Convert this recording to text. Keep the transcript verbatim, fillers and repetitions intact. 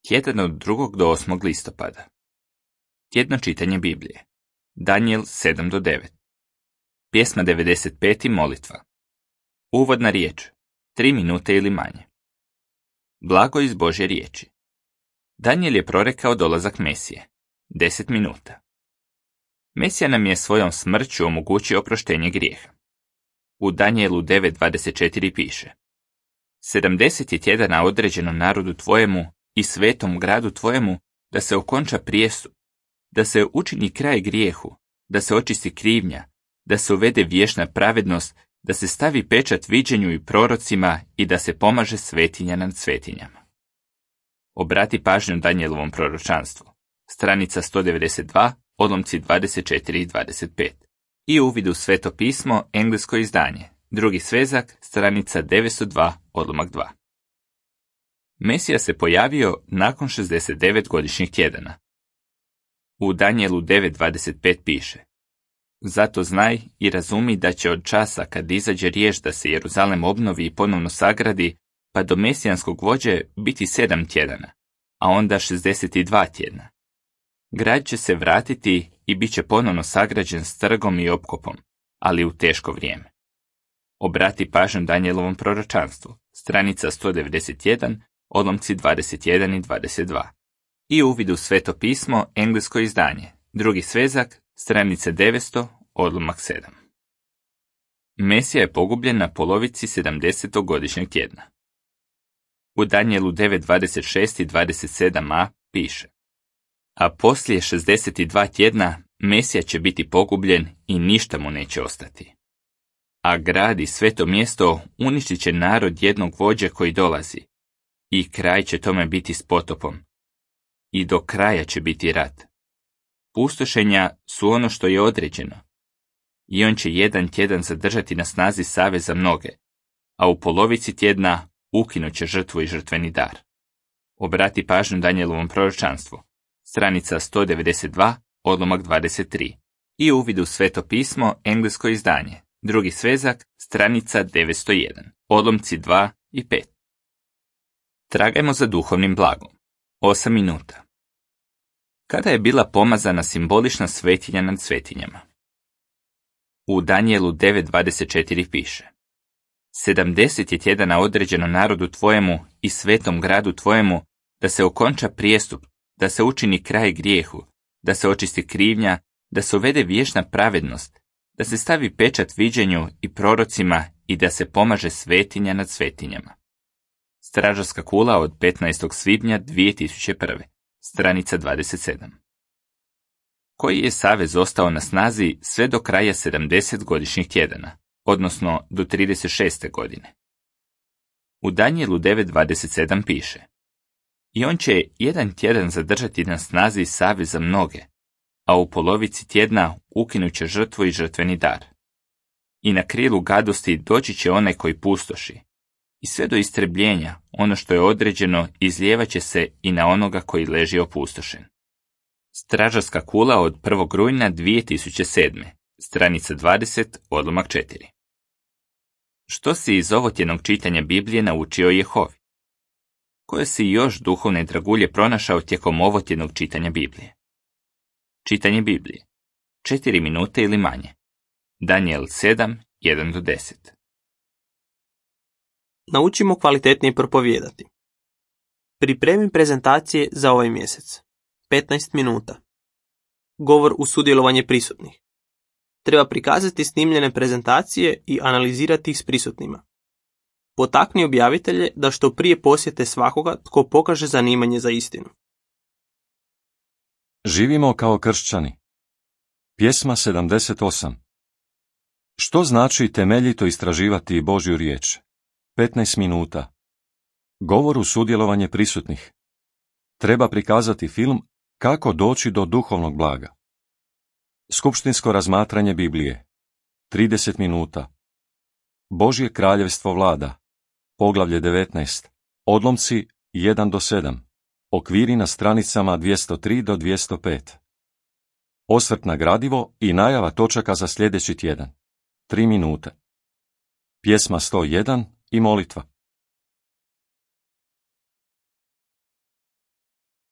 Tjedan od drugog do osmog listopada. Tjedno čitanje Biblije. Danijel sedam do devet. Pjesma devedeset pet i molitva. Uvodna riječ. Tri minute ili manje. Blago iz Božje riječi. Danijel je prorekao dolazak Mesije. Deset minuta. Mesija nam je svojom smrću omogućio oproštenje grijeha. U Danijelu devet dvadeset četiri piše: sedamdeset je tjedana određeno narodu tvojemu i svetom gradu tvojemu da se okonča prijestup, da se učini kraj grijehu, da se očisti krivnja, da se uvede vječna pravednost, da se stavi pečat viđenju i prorocima i da se pomaže svetinja nad svetinjama. Obrati pažnju Danijelovom proročanstvu. Stranica sto devedeset dva, odlomci dvadeset četiri i dvadeset pet. I uvid u Sveto pismo, englesko izdanje. Drugi svezak, stranica devetsto dva, odlomak dva. Mesija se pojavio nakon šezdeset devet godišnjih tjedana. U Danijelu devet dvadeset pet piše: zato znaj i razumi da će od časa kad izađe riječ da se Jeruzalem obnovi i ponovno sagradi, pa do mesijanskog vođe biti sedam tjedana, a onda šezdeset dva tjedna. Grad će se vratiti i bit će ponovno sagrađen s trgom i opkopom, ali u teško vrijeme. Obrati pažnju Danijelovom proročanstvu, stranica sto devedeset jedan, odlomci dvadeset jedan i dvadeset dva. I uvid u Sveto pismo, englesko izdanje, drugi svezak, stranice devetsto, odlomak sedam. Mesija je pogubljen na polovici sedamdesetog godišnjeg tjedna. U Danijelu devet dvadeset šest i dvadeset sedam a piše: a poslije šezdeset dva tjedna Mesija će biti pogubljen i ništa mu neće ostati. A grad i sveto mjesto uništit će narod jednog vođe koji dolazi, i kraj će tome biti s potopom. I do kraja će biti rat. Pustošenja su ono što je određeno. I on će jedan tjedan zadržati na snazi savez za mnoge, a u polovici tjedna ukinut će žrtvu i žrtveni dar. Obrati pažnju Danijelovom proročanstvu. Stranica sto devedeset dva, odlomak dvadeset tri. I uvid u Sveto pismo, englesko izdanje. Drugi svezak, stranica devetsto jedan, odlomci dva i pet. Tragajmo za duhovnim blagom. Osam minuta. Kada je bila pomazana simbolična svetinja nad svetinjama? U Danijelu devet dvadeset četiri piše: sedamdeset je tjedana određeno narodu tvojemu i svetom gradu tvojemu da se okonča prijestup, da se učini kraj grijehu, da se očisti krivnja, da se uvede vječna pravednost, da se stavi pečat viđenju i prorocima i da se pomaže svetinja nad svetinjama. Stražarska kula od petnaestog svibnja dvije tisuće prve. Stranica dvadeset sedam. Koji je savez ostao na snazi sve do kraja sedamdeset godišnjih tjedana, odnosno do trideset šeste godine. U Danijelu devet dvadeset sedam piše: i on će jedan tjedan zadržati na snazi savez za mnoge, a u polovici tjedna ukinut će žrtvu i žrtveni dar. I na krilu gadosti doći će onaj koji pustoši, i sve do istrebljenja ono što je određeno izlijevat će se i na onoga koji leži opustošen. Stražarska kula od prvog rujna dvije tisuće sedme. Stranica dvadeset, odlomak četiri. Što si iz ovotjednog čitanja Biblije naučio Jehovi? Koje si još duhovne dragulje pronašao tijekom ovotjednog čitanja Biblije? Čitanje Biblije. Četiri minute ili manje. Danijel sedam, jedan do deset. Naučimo kvalitetnije propovijedati. Pripremi prezentacije za ovaj mjesec. petnaest minuta. Govor uz sudjelovanje prisutnih. Treba prikazati snimljene prezentacije i analizirati ih s prisutnima. Potakni objavitelje da što prije posjete svakoga tko pokaže zanimanje za istinu. Živimo kao kršćani. Pjesma sedamdeset osam. Što znači temeljito istraživati Božju riječ? petnaest minuta. Govor uz sudjelovanje prisutnih. Treba prikazati film Kako doći do duhovnog blaga. Skupštinsko razmatranje Biblije. trideset minuta. Božje kraljevstvo vlada. Poglavlje devetnaest. Odlomci jedan do sedam. Okviri na stranicama dvjesto tri do dvjesto pet. Osvrt na gradivo i najava točaka za sljedeći tjedan. tri minute. Pjesma sto jedan i molitva.